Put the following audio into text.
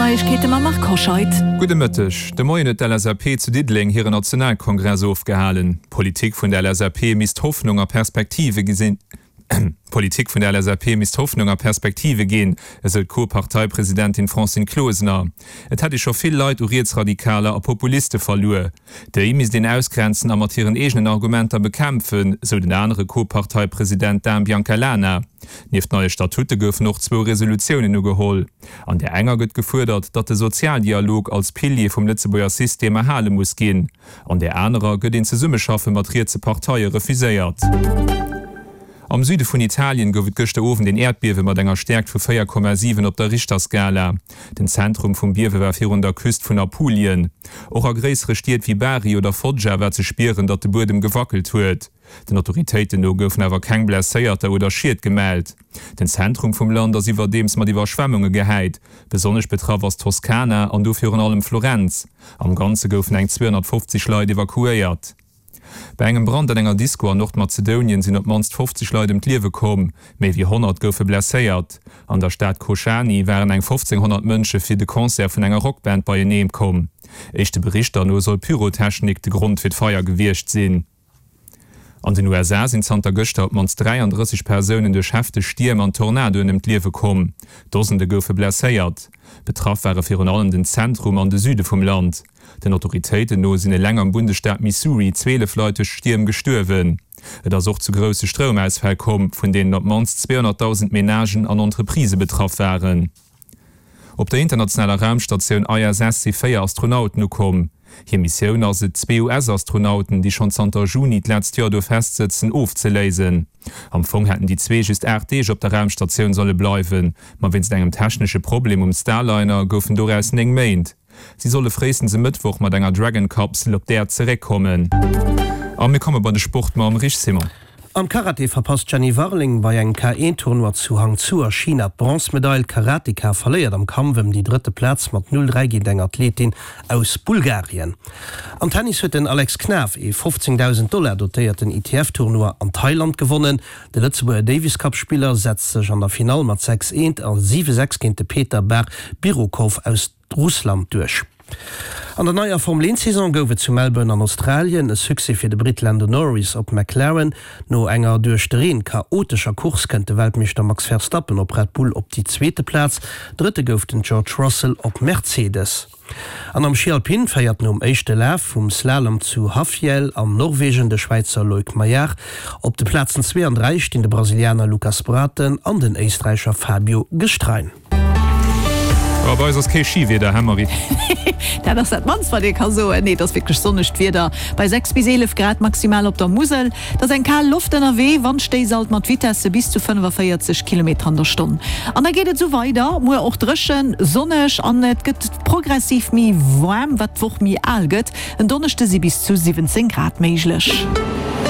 Neiegkeete mam Marc Hoscheid. Gudde Mëtteg. De Moien huet d'LSAP zu Diddeleng hire Nationalkongress ofgehalen. D'Politik vun der LSAP misst Hoffnung a Perspektive gesinn. D'Politik vun der LSAP misst Hoffnung a Perspektive ginn, esou d'Co-Parteipresidentin Francine Closener. Et hätt ee scho vill Leit u Rietsradikaler a Populiste verluer. Déi misst een ausgrenzen a mat hiren eegenen Argumenter bekämpfen, sou den anere Co-Parteipresident Dan Biancalana. Nieft neie Statute goufen och zwou Resolutiounen ugeholl. An där enger gëtt gefuerdert, datt de Sozialdialog als Pilier vum Lëtzebuerger System erhale muss ginn. An där anerer gëtt een Zesummeschaffe mat rietse Parteie refuséiert. Am Süde vun Italien gouf et gëschter Owend een Äerdbiewe mat enger Stäerkt vu 4,7 op der Richterskala. Den Zentrum vum Biewe war virun der Küst vun Apulien. Och a gréissere Stied wéi Bari oder Foggia war ze spieren, datt de Buedem gewackelt huet. Den Autoritéiten no goufen awer keng Blesséierter oder Schied gemellt. Den Zentrum vum Land ass iwwerdeems mat Iwwerschwemmunge gehäit. Besonnesch betraff ass d'Toskana an do virun allem Florenz. Am Ganze goufen eng 250 Leit evakuéiert. Bei engem Brand an enger Disko an Nordmazedounien sinn op d'mannst 50 Leit ëm d'Liewe komm, méi wéi 100 goufe blesséiert. An der Stad Kochani waren eng 1.500 Mënsche fir de Concert vun enger Rockband beienee komm. Éischte Berichter no soll Pyrotechnik de Grond fir d'Feier gewiescht sinn. An den USA sinn zanter gëschter op d'mannst 33 Persounen duerch hefteg Stierm an Tornadoen ëm d'Liewe komm. Dosende goufe blesséiert. Betraff ware virun allem den Zentrum an de Süde vum Land. Den Autoritéiten no sinn eleng am Bundesstaat Missouri 12 Leit duerch d'Stierm gestuerwen. Et ass och zu grousse Stroumausfäll komm, vun deenen op d'mannst 200.000 Menagen an Entreprisë betraff waren. Op der internationaler Raumstatioun ISS si 4 Astronauten ukomm. Hir Missioun ass et, zwee US-Astronauten, déi schonn zanter Juni d'letzt Joer do festsëtzen, ofzeléisen. Am Fong hätten déi zwee just 8 Deeg op der Raumstatioun solle bleiwen, ma wéinst engem technesche Problem um Starliner goufen doraus 9 Méint. Si solle fréistens e Mëttwoch mat enger Dragon-Kapsel op d'Äerd zeréckkommen. A mir komme bei de Sport mam Rich Simon. Am Karate verpasst d'Jenny Warling bei engem K1-Tournoi zu Hangzhou a China d'Bronzemedail. D'Karateka verléiert am Kampf ëm déi drëtte Plaz mat 0, 3 géint eng Athletin aus Bulgarien. Am Tennis huet den Alex Knaff ee 15.000 Dollar dotéierten ITF-Tournoi an Thailand gewonnen. De Lëtzebuerger Davis-Cup-Spiller setzt sech an der Finall mat 6, 1 a 7, 6 géint de Peter Bar Birukov aus Russland duerch. An der neier Formel-Eent-Saison gouf et zu Melbourne an Australien e Succès fir de Britt Lando Norris op McLaren. No enger duerch de Reen chaotescher Course kënnt de Weltmeeschter Max Verstappen op Red Bull op déi zweete Plaz. Drëtte gouf den George Russell op Mercedes. An am Schi Alpin féiert nom éischte Laf vum Slalom zu Hafjell an Norwegen de Schwäizer Loic Meillard. Op de Plazen zwee an dräi stinn de Brasilianer Lucas Braathen an den Éisträicher Fabio Gestrein. Oh, bei eis ass kee Schiwieder, hä Marie? Dat ass dat mannst wat ee ka soen. Nee, et ass wierklech sonnegt Wieder bei 6 bis 11 Grad maximal op der Musel. Et ass eng kal Loft ënnerwee, Wandstéiss alt mat Vitesse bis zu 45 Kilometer an der Stonn. An da geet et esou weider, muer och dréchen, sonneg an et gëtt progressiv méi waarm, wat d'Woch méi al gëtt. En Donneschde si bis zu 17 Grad méiglech.